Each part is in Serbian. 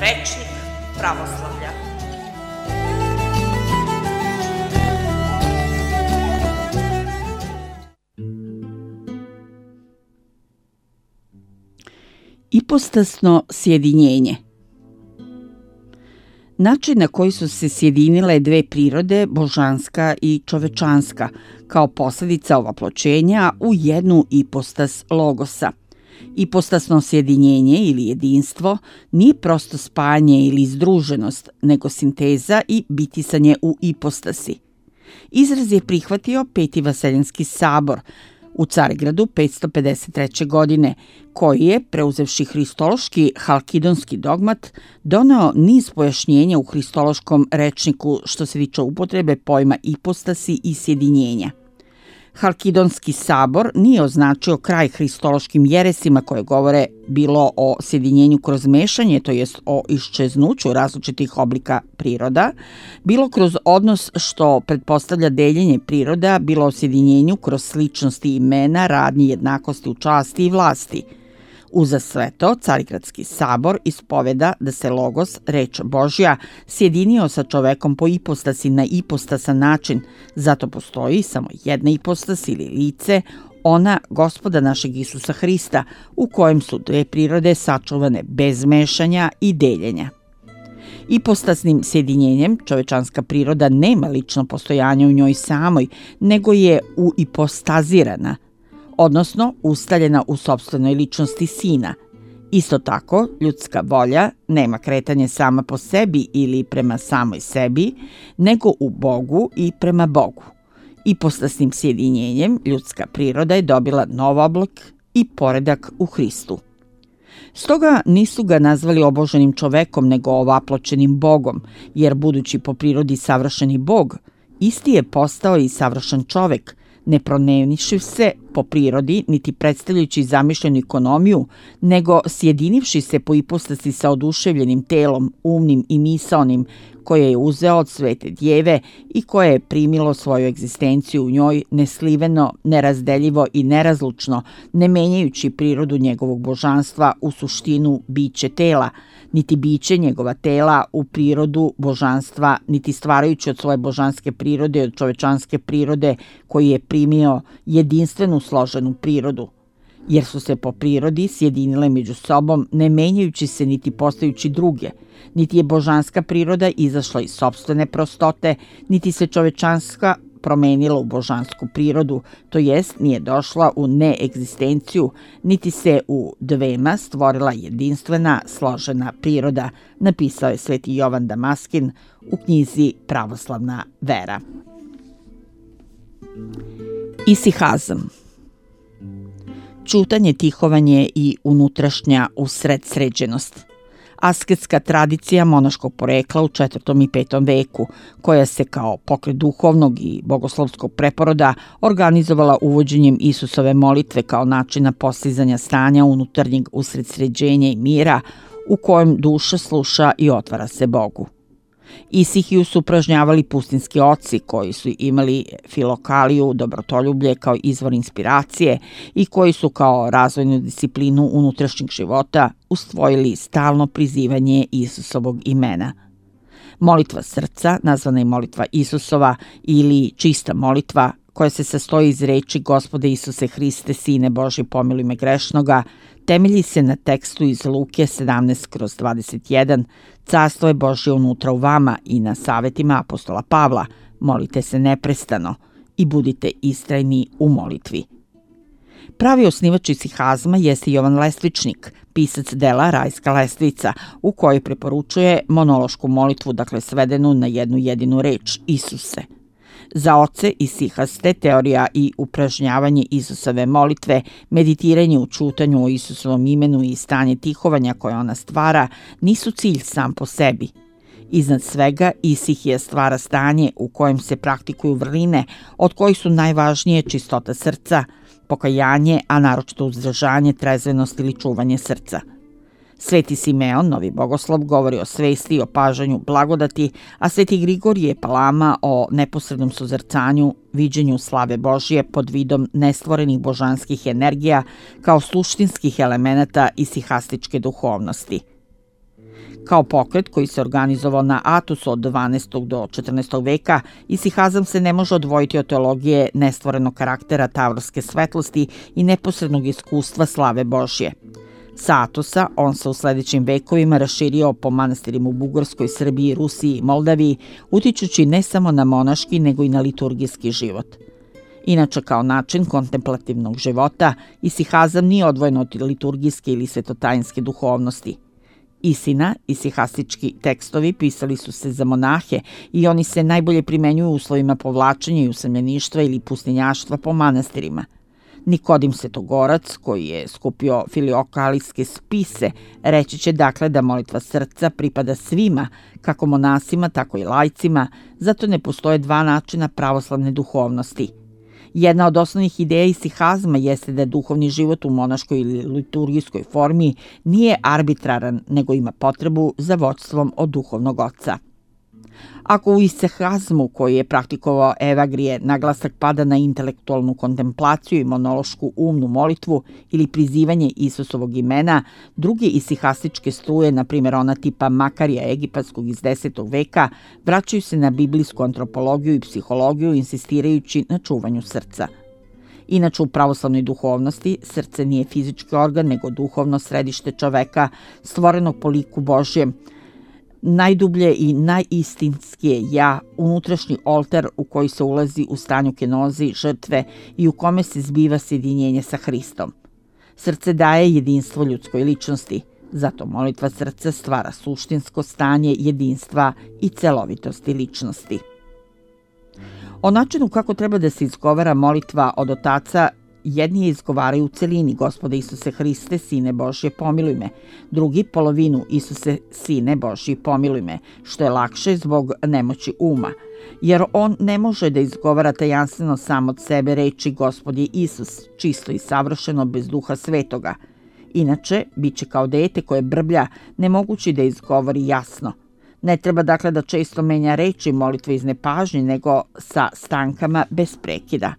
Rečnik pravoslavlja. Ipostasno sjedinjenje. Način na koji su se sjedinile dve prirode, božanska i čovečanska, kao posljedica ovaploćenja u jednu ipostas logosa. Ipostasno sjedinjenje ili jedinstvo nije prosto spajanje ili združenost, nego sinteza i bitisanje u ipostasi. Izraz je prihvatio Peti Vaseljenski sabor u Carigradu 553. godine, koji je, preuzevši hristološki halkidonski dogmat, doneo niz pojašnjenja u hristološkom rečniku što se tiče upotrebe pojma ipostasi i sjedinjenja. Halkidonski sabor nije označio kraj hristološkim jeresima koje govore bilo o sjedinjenju kroz mešanje, to jest o iščeznuću različitih oblika priroda, bilo kroz odnos što pretpostavlja deljenje priroda, bilo o sjedinjenju kroz sličnosti imena, radnji, jednakosti u časti i vlasti. Uza sve to, Carigradski sabor ispoveda da se Logos, reč Božja, sjedinio sa čovekom po ipostasi na ipostasan način, zato postoji samo jedna ipostas ili lice, ona Gospoda našeg Isusa Hrista, u kojem su dve prirode sačuvane bez mešanja i deljenja. Ipostasnim sjedinjenjem čovečanska priroda nema lično postojanje u njoj samoj, nego je uipostazirana, odnosno ustaljena u sopstvenoj ličnosti Sina. Isto tako, ljudska volja nema kretanje sama po sebi ili prema samoj sebi, nego u Bogu i prema Bogu. Ipostasnim sjedinjenjem ljudska priroda je dobila nov oblik i poredak u Hristu. Stoga nisu ga nazvali oboženim čovekom, nego ovaploćenim Bogom, jer budući po prirodi savršeni Bog, isti je postao i savršen čovek, ne promenivši se po prirodi, niti predstavljajući zamišljenu ekonomiju, nego sjedinivši se po ipostasi sa oduševljenim telom, umnim i misaonim, koje je uzeo od svete djeve i koje je primilo svoju egzistenciju u njoj nesliveno, nerazdeljivo i nerazlučno, ne menjajući prirodu njegovog božanstva u suštinu biće tela, niti biće njegova tela u prirodu božanstva, niti stvarajući od svoje božanske prirode i od čovečanske prirode koji je primio jedinstvenu složenu prirodu, jer su se po prirodi sjedinile među sobom, ne menjajući se niti postajući druge, niti je božanska priroda izašla iz sopstvene prostote, niti se čovečanska promenila u božansku prirodu, to jest nije došla u neegzistenciju, niti se u dvema stvorila jedinstvena, složena priroda, napisao je sveti Jovan Damaskin u knjizi Pravoslavna vera. Isihazam. Ćutanje, tihovanje i unutrašnja usredsređenost. Asketska tradicija monaškog porekla u 4. i 5. veku, koja se kao pokret duhovnog i bogoslovskog preporoda organizovala uvođenjem Isusove molitve kao načina postizanja stanja unutarnjeg usredsređenja i mira u kojem duša sluša i otvara se Bogu. Isihiju su upražnjavali pustinski oci koji su imali filokaliju, dobrotoljublje kao izvor inspiracije i koji su kao razvojnu disciplinu unutrašnjeg života usvojili stalno prizivanje Isusovog imena. Molitva srca, nazvana i molitva Isusova ili čista molitva, koja se sastoji iz reči Gospode Isuse Hriste, Sine Božji, pomiluj me grešnoga, temelji se na tekstu iz Luke 17/21, Carstvo je Božje unutra u vama, i na savjetima apostola Pavla, molite se neprestano i budite istrajni u molitvi. Pravi osnivač isihazma jeste Jovan Lestvičnik, pisac dela Rajska lestvica, u kojoj preporučuje monološku molitvu, dakle svedenu na jednu jedinu reč, Isuse. Za oce isihaste teorija i upražnjavanje Isusove molitve, meditiranje u čutanju o Isusovom imenu i stanje tihovanja koje ona stvara nisu cilj sam po sebi. Iznad svega, Isihija stvara stanje u kojem se praktikuju vrline, od kojih su najvažnije čistota srca, pokajanje, a naročito uzdržanje, trezvenost ili čuvanje srca. Sveti Simeon, novi bogoslov, govori o svesti i opažanju blagodati, a sveti Grigorije Palama o neposrednom suzrcanju, viđenju slave Božje pod vidom nestvorenih božanskih energija kao suštinskih elemenata isihastičke duhovnosti. Kao pokret koji se organizovao na Atosu od 12. do 14. veka, isihazam se ne može odvojiti od teologije nestvorenog karaktera tavorske svetlosti i neposrednog iskustva slave Božje. Sa Atosa on se u sledećim vekovima raširio po manastirima u Bugarskoj, Srbiji, Rusiji i Moldaviji, utičući ne samo na monaški, nego i na liturgijski život. Inače, kao način kontemplativnog života, isihazam nije odvojen od liturgijske ili svetotajinske duhovnosti. Istina, isihastički tekstovi pisali su se za monahe i oni se najbolje primenjuju u uslovima povlačenja i usamljeništva ili pustinjaštva po manastirima. Nikodim Svetogorac, koji je skupio filiokalijske spise, reći će dakle da molitva srca pripada svima, kako monasima, tako i laicima, zato ne postoje dva načina pravoslavne duhovnosti. Jedna od osnovnih ideja isihazma jeste da duhovni život u monaškoj ili liturgijskoj formi nije arbitraran, nego ima potrebu za vodstvom od duhovnog oca. Ako u isihazmu, koji je praktikovao Evagrije, naglasak pada na intelektualnu kontemplaciju i monološku umnu molitvu ili prizivanje Isusovog imena, druge isihastičke struje, na primjer ona tipa Makarija egipatskog iz 10. veka, vraćaju se na biblijsku antropologiju i psihologiju, insistirajući na čuvanju srca. Inače, u pravoslavnoj duhovnosti srce nije fizički organ, nego duhovno središte čoveka, stvorenog po liku Božjem, najdublje i najistinskije ja, unutrašnji oltar u koji se ulazi u stanju kenozi, žrtve i u kome se zbiva sjedinjenje sa Hristom. Srce daje jedinstvo ljudskoj ličnosti, zato molitva srca stvara suštinsko stanje jedinstva i celovitosti ličnosti. O načinu kako treba da se izgovara molitva od otaca, jedni je izgovaraju u celini: Gospode Isuse Hriste, Sine Božje, pomiluj me. Drugi polovinu: Isuse, Sine Božji, pomiluj me, što je lakše zbog nemoći uma, jer on ne može da izgovara tajanstveno sam od sebe reči Gospod je Isus, čisto i savršeno bez Duha Svetoga. Inače, bit će kao dete koje brblja, nemogući da izgovori jasno. Ne treba dakle da često menja reči molitve iz nepažnje, nego sa stankama bez prekida.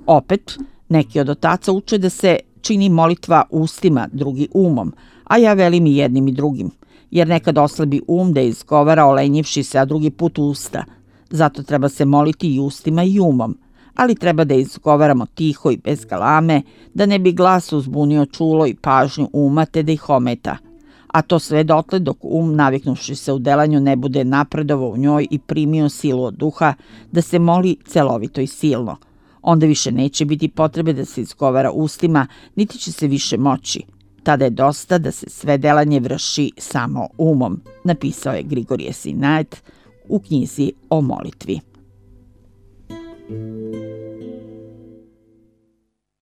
Opet, neki od otaca uče da se čini molitva ustima, drugi umom, a ja velim i jednim i drugim, jer nekad oslabi um da izgovara olenjivši se, a drugi put usta. Zato treba se moliti i ustima i umom, ali treba da izgovaramo tiho i bez galame, da ne bi glas uzbunio čulo i pažnju uma te da ih ometa. A to sve dotle dok naviknuši se u delanju, ne bude napredovao u njoj i primio silu od duha da se moli celovito i silno. Onda više neće biti potrebe da se izgovara ustima, niti će se više moći. Tada je dosta da se sve delanje vrši samo umom, napisao je Grigorije Sinaet u knjizi o molitvi.